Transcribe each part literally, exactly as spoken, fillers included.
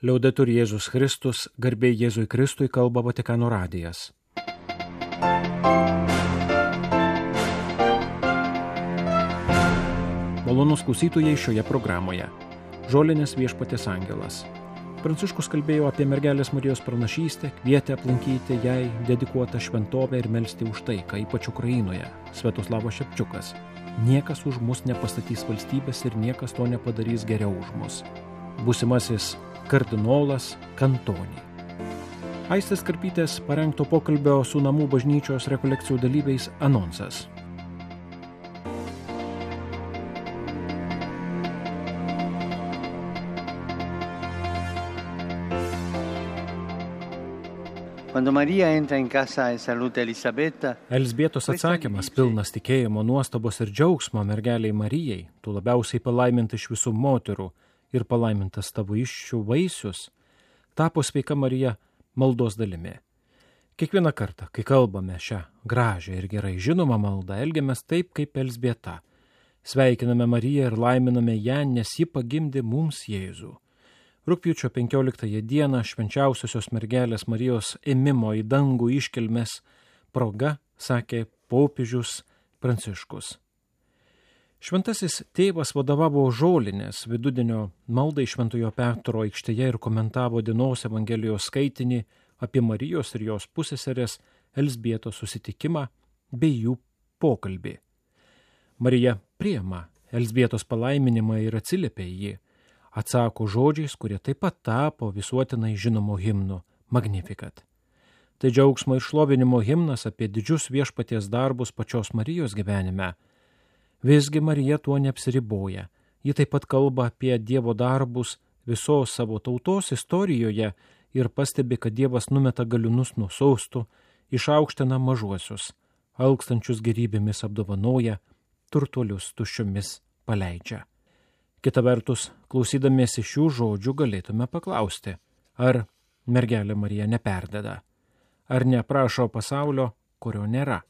Liaudetur Jėzus Kristus, garbė Jėzui Kristui, kalba Vatikano radijas. Malonus klausytojai šioje programoje. Žolinės viešpaties angelas. Pranciškus kalbėjo apie mergelės Marijos pranašystę, kvietė aplankyti jai dedikuotą šventovę ir melsti už taiką, ypač Ukrainoje. Sviatoslavas Šepčiukas. Niekas už mus nepastatys valstybės ir niekas to nepadarys geriau už mus. Būsimasis kardinolas Kantonį. Aistės Karpytės parengto pokalbio su namų bažnyčios rekolekcijų dalyviais anonsas. Quando Maria entra in casa e saluta Elisabetta, Elzbietos atsakymas pilnas tikėjimo, nuostabos ir džiaugsmo mergeliai Marijai, tu labiausiai palaiminta iš visų moterų ir palaimintas tavo įsčių vaisius, tapo sveika Marija maldos dalimi. Kiekvieną kartą, kai kalbame šią gražią ir gerai žinomą maldą, elgiamės taip kaip Elzbieta. Sveikiname Mariją ir laiminame ją, nes ji pagimdė mums Jėzų. Rugpjūčio penkioliktąją dieną švenčiausiosios mergelės Marijos ėmimo į dangų iškilmės proga, sakė popiežius Pranciškus. Šventasis tėvas vadovavo žolinės vidudienio maldai Šventojo Petro aikštėje ir komentavo dienos Evangelijos skaitinį apie Marijos ir jos pusseserės Elzbietos susitikimą bei jų pokalbį. Marija priima Elzbietos palaiminimą ir atsiliepia į jį. Atsako žodžiais, kurie taip pat tapo visuotinai žinomo himnu Magnificat. Tai džiaugsmo ir šlovinimo himnas apie didžius viešpaties darbus pačios Marijos gyvenime. Visgi Marija tuo neapsiriboja. Ji taip pat kalba apie Dievo darbus visos savo tautos istorijoje ir pastebi, kad Dievas numeta galiūnus nuo sostų, išaukština mažuosius, alkstančius gerybėmis apdovanoja, turtuolius tuščiomis paleidžia. Kita vertus, klausydamiesi šių žodžių galėtume paklausti, ar mergelė Marija neperdeda, ar neaprašo pasaulio, kurio nėra.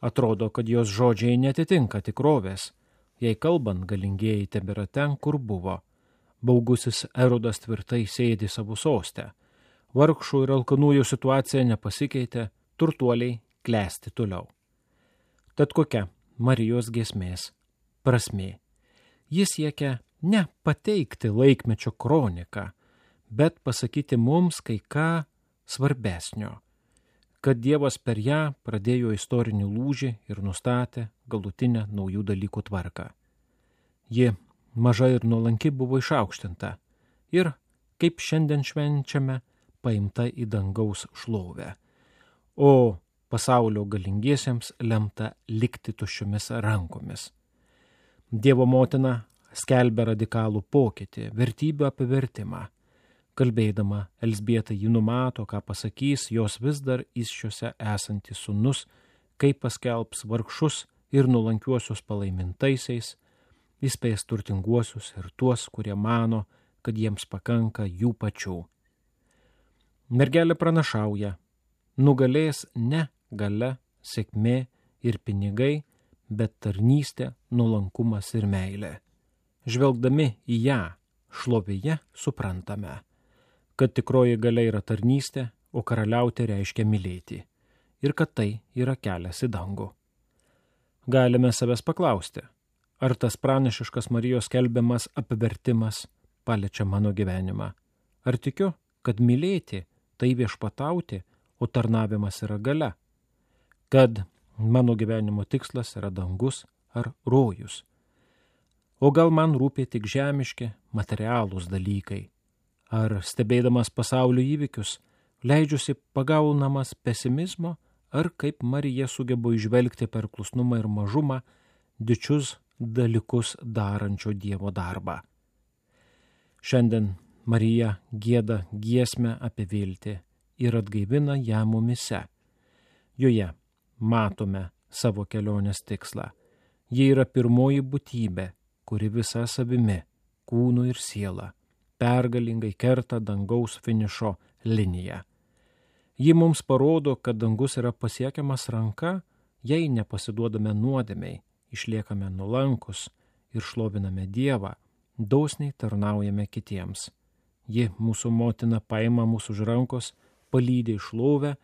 Atrodo, kad jos žodžiai netitinka tikrovės, jei kalbant galingieji tebėra ten, kur buvo. Baugusis Erodas tvirtai sėdi savo sostę. Vargšų ir alkanųjų situacija nepasikeitė, turtuoliai klesti toliau. Tad kokia Marijos giesmės prasmė? Jis siekia ne pateikti laikmečio kroniką, bet pasakyti mums kai ką svarbesnio, kad Dievas per ją pradėjo istorinį lūžį ir nustatė galutinę naujų dalykų tvarką. Ji maža ir nuolanki buvo išaukštinta ir, kaip šiandien švenčiame, paimta į dangaus šlovę, o pasaulio galingiesiems lemta likti tuščiomis rankomis. Dievo motina skelbia radikalų pokytį, vertybių apivertimą. Kalbėdama, Elzbieta jį numato, ką pasakys jos vis dar įsčiose esantis sūnus, kaip paskelbs vargšus ir nuolankiuosius palaimintaisiais, įspės turtinguosius ir tuos, kurie mano, kad jiems pakanka jų pačių. Mergelė pranašauja, nugalės ne galia, sėkmė ir pinigai, bet tarnystė, nuolankumas ir meilė. Žvelgdami į ją šlovėje suprantame, kad tikroji galia yra tarnystė, o karaliauti reiškia mylėti, ir kad tai yra kelias į dangų. Galime savęs paklausti, ar tas pranašiškas Marijos skelbiamas apivertimas paliečia mano gyvenimą. Ar tikiu, kad mylėti tai viešpatauti, o tarnavimas yra galia, kad mano gyvenimo tikslas yra dangus ar rojus. O gal man rūpė tik žemiški, materialūs dalykai? Ar stebėdamas pasaulio įvykius, leidžiuosi pagaunamas pesimizmo, ar kaip Marija sugeba įžvelgti per klusnumą ir mažumą didžius dalykus darančio Dievo darbą? Šiandien Marija gieda giesmę apie viltį ir atgaivina ją mumyse. Joje matome savo kelionės tikslą. Ji yra pirmoji būtybė, kuri visa savimi, kūnu ir siela, pergalingai kerta dangaus finišo liniją. Ji mums parodo, kad dangus yra pasiekiamas ranka, jei nepasiduodame nuodėmei, išliekame nuolankus ir šloviname Dievą, dosniai tarnaujame kitiems. Ji, mūsų motina, paima mūsų už rankos, palydi į šlovę,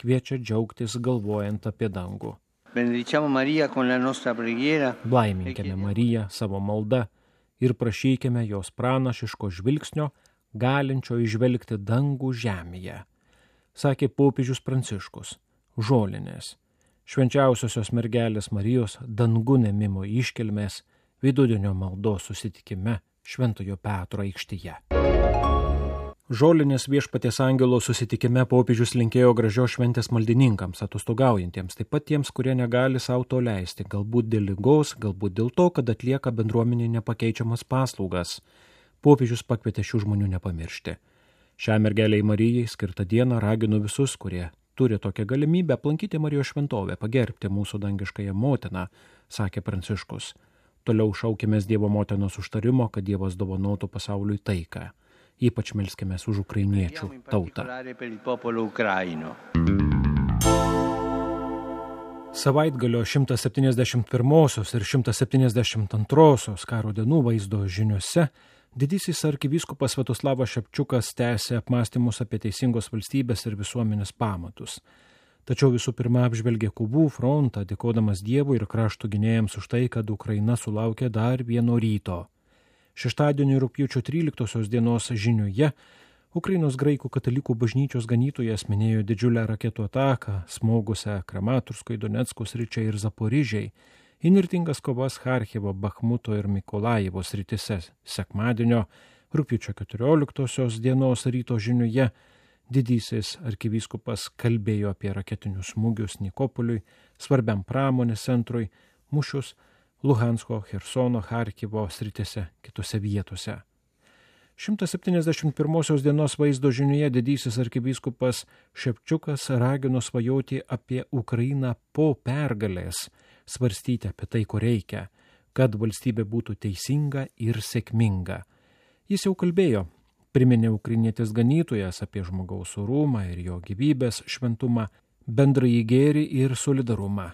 kviečia džiaugtis galvojant apie dangų. Benediciamo Maria con la nostra preghiera. Blaiminkime Mariją savo malda ir prašykime jos pranašiško žvilgsnio, galinčio išvelgti dangų žemėje. Sakė popiežius Pranciškus, žolinės, švenčiausiosios mergelės Marijos dangun ėmimo iškilmės vidudienio maldos susitikime Šventojo Petro aikštėje. Žolinės Viešpaties angelo susitikime popiežius linkėjo gražios šventės maldininkams, atostogaujantiems, taip pat tiems, kurie negali savo to leisti, galbūt dėl ligos, galbūt dėl to, kad atlieka bendruomenė nepakeičiamas paslaugas. Popiežius pakvietė šių žmonių nepamiršti. Šią mergelei Marijai skirtą dieną raginu visus, kurie turi tokią galimybę, aplankyti Marijos šventovę, pagerbti mūsų dangiškąją motiną, sakė Pranciškus. Toliau šaukėmės Dievo motinos užtarimo, kad Dievas dovanotų pasauliui taiką. Ypač melskimės už ukrainiečių tautą. Savaitgalio šimtas septyniasdešimt pirmosios ir šimtas septyniasdešimt antrosios karo dienų vaizdo žiniuose didysis arkivyskupas Sviatoslavas Šepčiukas tęsė apmąstymus apie teisingos valstybės ir visuomenės pamatus. Tačiau visų pirma apžvelgė kovų frontą, dėkodamas Dievui ir krašto gynėjams už tai, kad Ukraina sulaukė dar vieno ryto. Šeštadienį rugpjūčio tryliktosios dienos žiniuje Ukrainos graikų katalikų bažnyčios ganytojas minėjo didžiulę raketų ataką, smogusią Kramatorskui, Donecko sričiai ir Zaporižiai, įnirtingas kovas Charkivo, Bachmuto ir Mikolajivo srityse. Sekmadienio rugpjūčio keturioliktosios dienos ryto žiniuje didysis arkivyskupas kalbėjo apie raketinius smūgius Nikopoliui, svarbiam pramonės centrui, mūšius Luhansko, Chersono, Charkivo srityse, kitose vietose. šimtas septyniasdešimt pirmosios dienos vaizdo žiniuje didysis arkivyskupas Šepčiukas ragino svajoti apie Ukrainą po pergalės, svarstyti apie tai, ko reikia, kad valstybė būtų teisinga ir sėkminga. Jis jau kalbėjo, priminė ukrainietis ganytojas apie žmogaus orumą ir jo gyvybės šventumą, bendrąjį gėrį ir solidarumą.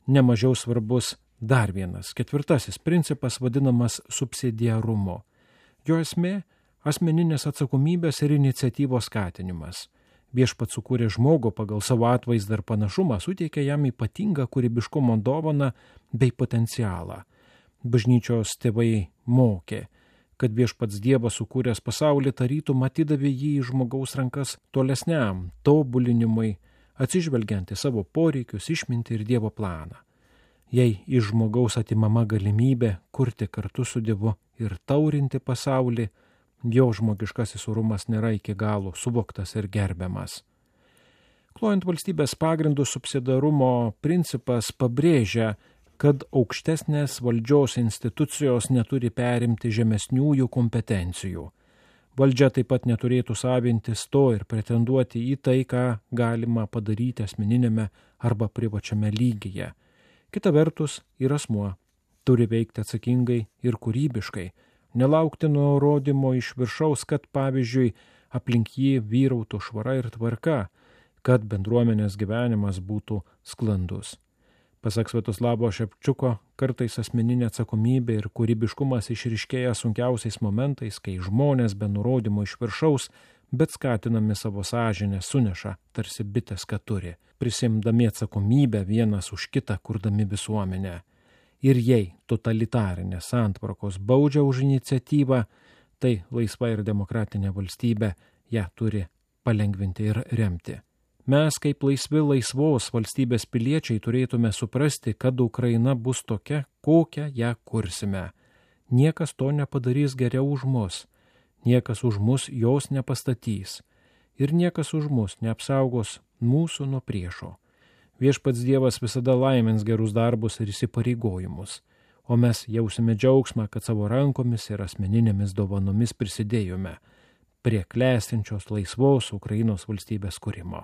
Nemažiau svarbus dar vienas, ketvirtasis principas vadinamas subsidiarumu. Jo esmė – asmeninės atsakomybės ir iniciatyvos skatinimas. Viešpats sukūrė žmogų pagal savo atvaizdą ir panašumą, suteikė jam ypatingą kūrybiškumo dovaną bei potencialą. Bažnyčios tėvai mokė, kad Viešpats Dievas sukūręs pasaulį tarytum atidavė jį į žmogaus rankas tolesniam tobulinimui, atsižvelgiant į savo poreikius, išmintį ir Dievo planą. Jei iš žmogaus atimama galimybė kurti kartu su Dievu ir taurinti pasaulį, jo žmogiškasis orumas nėra iki galo suvoktas ir gerbiamas. Klojant valstybės pagrindų, subsidiarumo principas pabrėžia, kad aukštesnės valdžios institucijos neturi perimti žemesniųjų kompetencijų. Valdžia taip pat neturėtų savintis to ir pretenduoti į tai, ką galima padaryti asmeninėme arba privačiame lygyje. Kita vertus, ir asmuo turi veikti atsakingai ir kūrybiškai, nelaukti nurodymo iš viršaus, kad, pavyzdžiui, aplink jį vyrautų švara ir tvarka, kad bendruomenės gyvenimas būtų sklandus. Pasak Sviatoslavo Šepčiuko, kartais asmeninė atsakomybė ir kūrybiškumas išryškėja sunkiausiais momentais, kai žmonės be nurodymo iš viršaus, bet skatinami savo sąžinę suneša, tarsi bitės, ką turi, prisimdami atsakomybę vienas už kitą, kurdami visuomenę. Ir jei totalitarinės santvarkos baudžia už iniciatyvą, tai laisva ir demokratinė valstybė ją turi palengvinti ir remti. Mes, kaip laisvi laisvos valstybės piliečiai, turėtume suprasti, kad Ukraina bus tokia, kokią ją kursime. Niekas to nepadarys geriau už mus, niekas už mus jos nepastatys ir niekas už mus neapsaugos mūsų nuo priešo. Viešpats Dievas visada laimins gerus darbus ir įsipareigojimus, o mes jausime džiaugsmą, kad savo rankomis ir asmeninėmis dovanomis prisidėjome prie klestinčios laisvos Ukrainos valstybės kūrimo,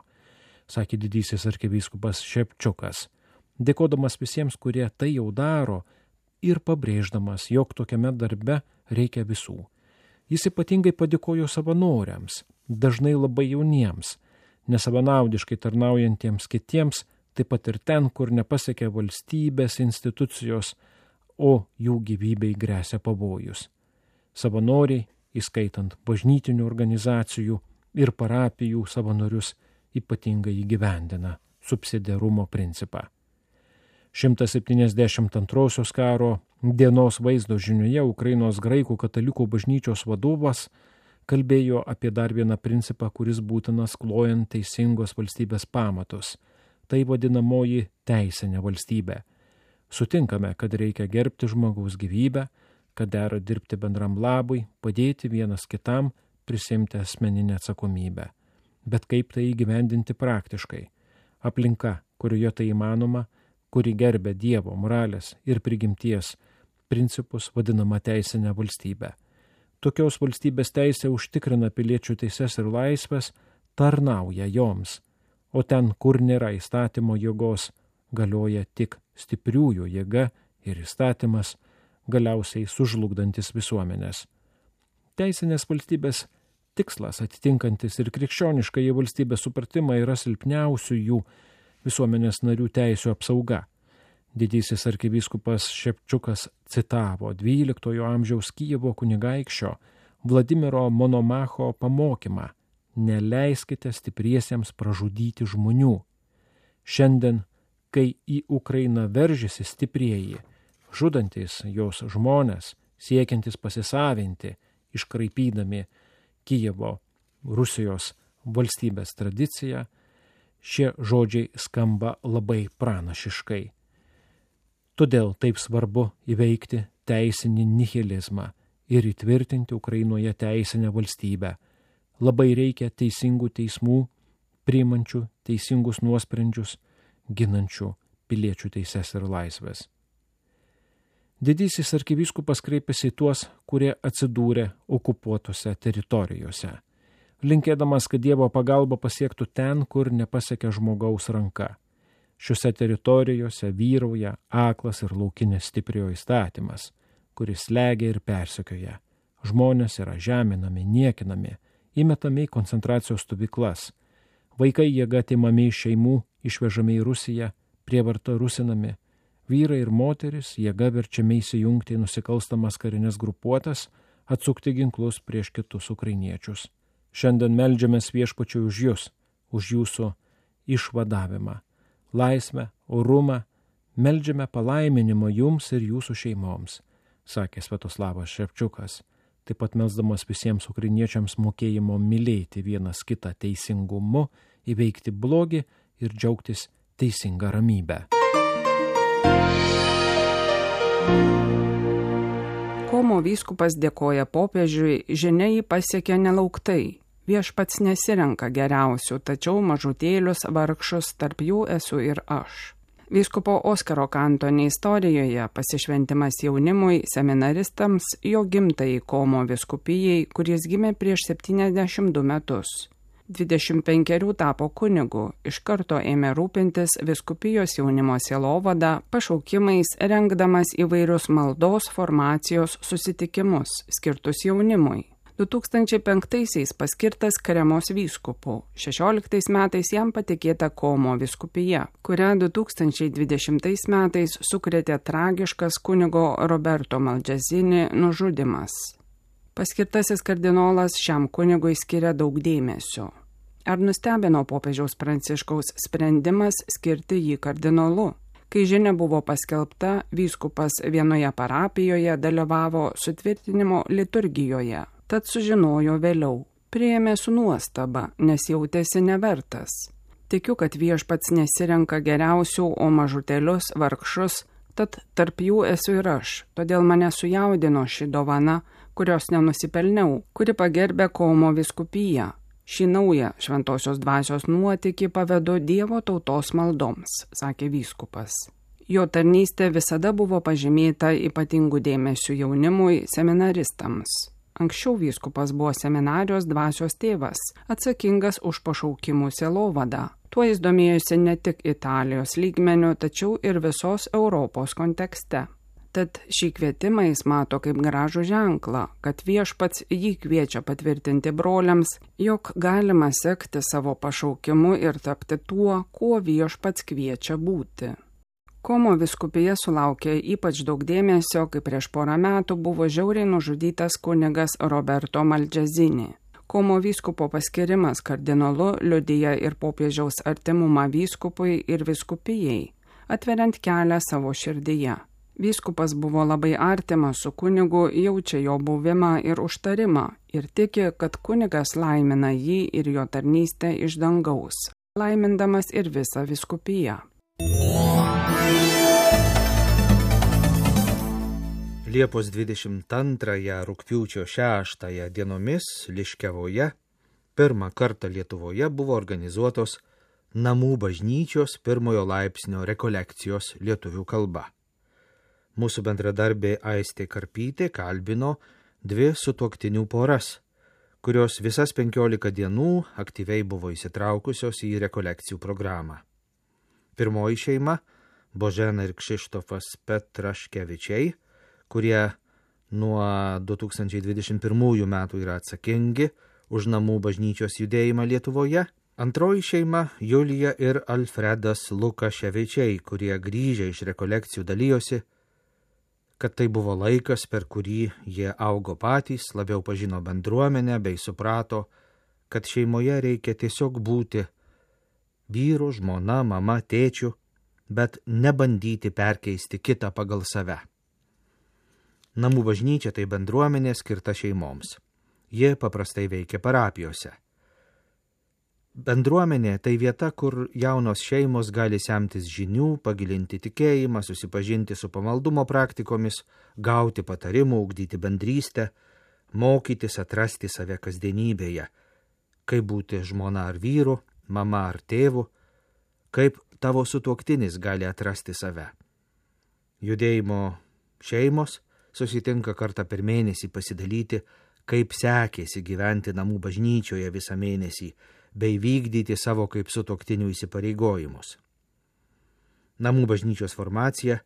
sakė didysis arkivyskupas Šepčiukas, dėkodamas visiems, kurie tai jau daro ir pabrėždamas, jog tokiame darbe reikia visų. Jis ypatingai padėkojo savanoriams, dažnai labai jauniems, nesavanaudiškai tarnaujantiems kitiems, taip pat ir ten, kur nepasiekia valstybės institucijos, o jų gyvybei gresia pavojus. Savanoriai įskaitant bažnytinių organizacijų ir parapijų savanorius, ypatingai įgyvendina subsidiarumo principą. šimtas septyniasdešimt antrosios karo dienos vaizdo žinioje Ukrainos graikų katalikų bažnyčios vadovas kalbėjo apie dar vieną principą, kuris būtinas klojant teisingos valstybės pamatus. Tai vadinamoji teisinė valstybė. Sutinkame, kad reikia gerbti žmogaus gyvybę, kad dera dirbti bendram labui, padėti vienas kitam, prisimti asmeninę atsakomybę. Bet kaip tai įgyvendinti praktiškai? Aplinka, kurioje tai įmanoma, kuri gerbia Dievo moralės ir prigimties principus, vadinama teisinė valstybė. Tokios valstybės teisė užtikrina piliečių teises ir laisvės, tarnauja joms, o ten, kur nėra įstatymo jėgos, galioja tik stipriųjų jėga ir įstatymas, galiausiai sužlugdantis visuomenės. Teisinės valstybės tikslas, atitinkantis ir krikščioniškąjį valstybės supratimą, yra silpniausių jų visuomenės narių teisių apsauga. Didysis arkivyskupas Šepčiukas citavo dvyliktojo amžiaus Kijevo kunigaikščio Vladimiro Monomacho pamokymą: neleiskite stipriesiems pražudyti žmonių. Šiandien, kai į Ukrainą veržiasi stiprieji, žudantis jos žmonės, siekiantis pasisavinti, iškraipydami Kijevo Rusijos valstybės tradiciją, šie žodžiai skamba labai pranašiškai. Todėl taip svarbu įveikti teisinį nihilizmą ir įtvirtinti Ukrainoje teisinę valstybę. Labai reikia teisingų teismų, priimančių teisingus nuosprendžius, ginančių piliečių teises ir laisvės. Didysis arkivyskupas kreipėsi į tuos, kurie atsidūrė okupuotose teritorijose, linkėdamas, kad Dievo pagalba pasiektų ten, kur nepasiekia žmogaus ranka. Šiuose teritorijose vyrauja aklas ir laukinis stipriojo įstatymas, kuris slegia ir persekioja. Žmonės yra žeminami, niekinami, įmetami į koncentracijos stovyklas. Vaikai jėga atimami iš šeimų, išvežami į Rusiją, prievarta rusinami. Vyrai ir moteris jėga verčiami įsijungti į nusikalstamas karinės grupuotas, atsukti ginklus prieš kitus ukrainiečius. Šiandien meldžiamės Viešpačiui už jūs, už jūsų išvadavimą, laisvę, orumą, meldžiame palaiminimo jums ir jūsų šeimoms, sakė Sviatoslavas Šepčiukas, taip pat melsdamas visiems ukrainiečiams mokėjimo mylėti vienas kitą teisingumu, įveikti blogį ir džiaugtis teisinga ramybę. Komo vyskupas dėkoja popiežiui, žinia jį pasiekė nelauktai. Viešpats nesirenka geriausių, tačiau mažutėlius vargšus, tarp jų esu ir aš. Vyskupo Oskaro Kantoni istorijoje pasišventimas jaunimui, seminaristams, jo gimtajai Komo vyskupijai, kuris gimė prieš septyniasdešimt du metus. dvidešimt penkerių tapo kunigu, iš karto ėmė rūpintis vyskupijos jaunimo sielovada, pašaukimais, rengdamas įvairius maldos formacijos susitikimus, skirtus jaunimui. du tūkstančiai penktaisiais paskirtas Kremos vyskupu, šešioliktais metais jam patikėta Komo vyskupija, kurią du tūkstančiai dvidešimtais metais sukrėtė tragiškas kunigo Roberto Maldžazini nužudymas. Paskirtasis kardinolas šiam kunigui skiria daug dėmesio. Ar nustebino popiežiaus Pranciškaus sprendimas skirti jį kardinolu? Kai žinia buvo paskelbta, vyskupas vienoje parapijoje dalyvavo sutvirtinimo liturgijoje, tad sužinojo vėliau. Priėmė su nuostaba, nes jautėsi nevertas. Tikiu, kad Viešpats nesirenka geriausių, o mažutėlius, vargšus, tad tarp jų esu ir aš, todėl mane sujaudino ši dovana, kurios nenusipelniau, kuri pagerbė Komo vyskupiją. Šį naują šventosios dvasios nuotykį pavedu Dievo tautos maldoms, sakė vyskupas. Jo tarnystė visada buvo pažymėta ypatingų dėmesių jaunimui, seminaristams. Anksčiau vyskupas buvo seminarijos dvasios tėvas, atsakingas už pašaukimų sielovadą. Tuo jis domėjosi ne tik Italijos lygmeniu, tačiau ir visos Europos kontekste. Tad šį kvietimą jis mato kaip gražų ženklą, kad Viešpats jį kviečia patvirtinti broliams, jog galima sekti savo pašaukimu ir tapti tuo, kuo Viešpats kviečia būti. Komo vyskupija sulaukė ypač daug dėmesio, kai prieš porą metų buvo žiauriai nužudytas kunigas Roberto Malgezini. Komo vyskupo paskirimas kardinolu liudija ir popiežiaus artimumą vyskupui ir vyskupijai, atveriant kelią savo širdyje. Vyskupas buvo labai artimas su kunigu, jaučia jo buvimą ir užtarimą ir tiki, kad kunigas laimina jį ir jo tarnystę iš dangaus, laimindamas ir visą vyskupiją. Liepos dvidešimt antrąją rugpjūčio šeštąją dienomis Liškiavoje pirmą kartą Lietuvoje buvo organizuotos namų bažnyčios pirmojo laipsnio rekolekcijos lietuvių kalba. Mūsų bendradarbė Aistė Karpytė kalbino dvi sutuoktinių poras, kurios visas penkiolika dienų aktyviai buvo įsitraukusios į rekolekcijų programą. Pirmoji šeima – Božena ir Kšištofas Petraškevičiai, kurie nuo du tūkstančiai dvidešimt pirmųjų metų yra atsakingi už namų bažnyčios judėjimą Lietuvoje. Antroji šeima – Julija ir Alfredas Lukaševičiai, kurie grįžę iš rekolekcijų dalijosi, kad tai buvo laikas, per kurį jie augo patys, labiau pažino bendruomenę bei suprato, kad šeimoje reikia tiesiog būti vyru, žmona, mama, tėčiu, bet nebandyti perkeisti kitą pagal save. Namų bažnyčia tai bendruomenė skirta šeimoms. Jie paprastai veikia parapijose. Bendruomenė tai vieta, kur jaunos šeimos gali semtis žinių, pagilinti tikėjimą, susipažinti su pamaldumo praktikomis, gauti patarimų, ugdyti bendrystę, mokytis atrasti save kasdienybėje, kaip būti žmona ar vyru, mama ar tėvu, kaip tavo sutuoktinis gali atrasti save. Judėjimo šeimos susitinka kartą per mėnesį pasidalyti, kaip sekėsi gyventi namų bažnyčioje visą mėnesį, bei vykdyti savo kaip sutuoktinių įsipareigojimus. Namų bažnyčios formacija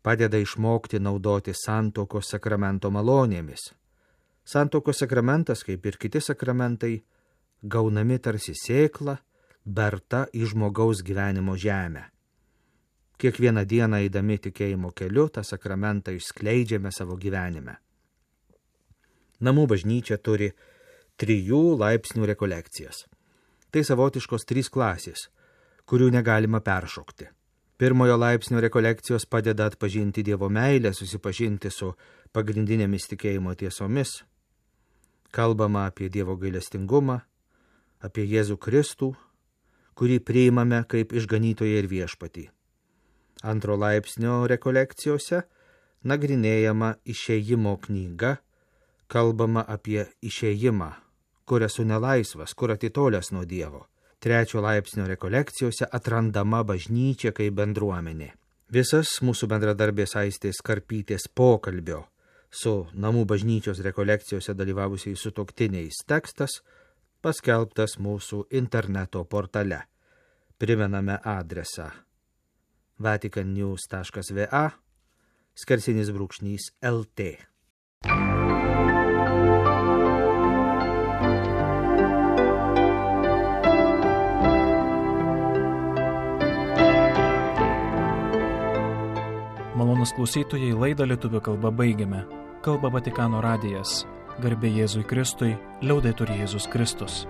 padeda išmokti naudoti santuokos sakramento malonėmis. Santuokos sakramentas, kaip ir kiti sakramentai, gaunami tarsi sėkla, berta į žmogaus gyvenimo žemę. Kiekvieną dieną eidami tikėjimo keliu, tą sakramentą išskleidžiame savo gyvenime. Namų bažnyčia turi trijų laipsnių rekolekcijas. Tai savotiškos trys klasės, kurių negalima peršokti. Pirmojo laipsnio rekolekcijos padeda atpažinti Dievo meilę, susipažinti su pagrindinėmis tikėjimo tiesomis. Kalbama apie Dievo gailestingumą, apie Jėzų Kristų, kurį priimame kaip išganytoją ir viešpatį. Antro laipsnio rekolekcijose nagrinėjama išėjimo knyga, kalbama apie išėjimą, kur esu nelaisvas, kur atitolęs nuo Dievo. Trečio laipsnio rekolekcijose atrandama bažnyčia kaip bendruomenė. Visas mūsų bendradarbės Aistės Karpytės pokalbio su namų bažnyčios rekolekcijose dalyvavusiais sutuoktiniais tekstas paskelbtas mūsų interneto portale. Primename adresą vatican news taškas v a skersinis brūkšnys el t. Malonūs klausytojai, laidą lietuvių kalba baigiame. Kalba Vatikano radijas. Garbė Jėzui Kristui, liaudetur Jėzus Kristus.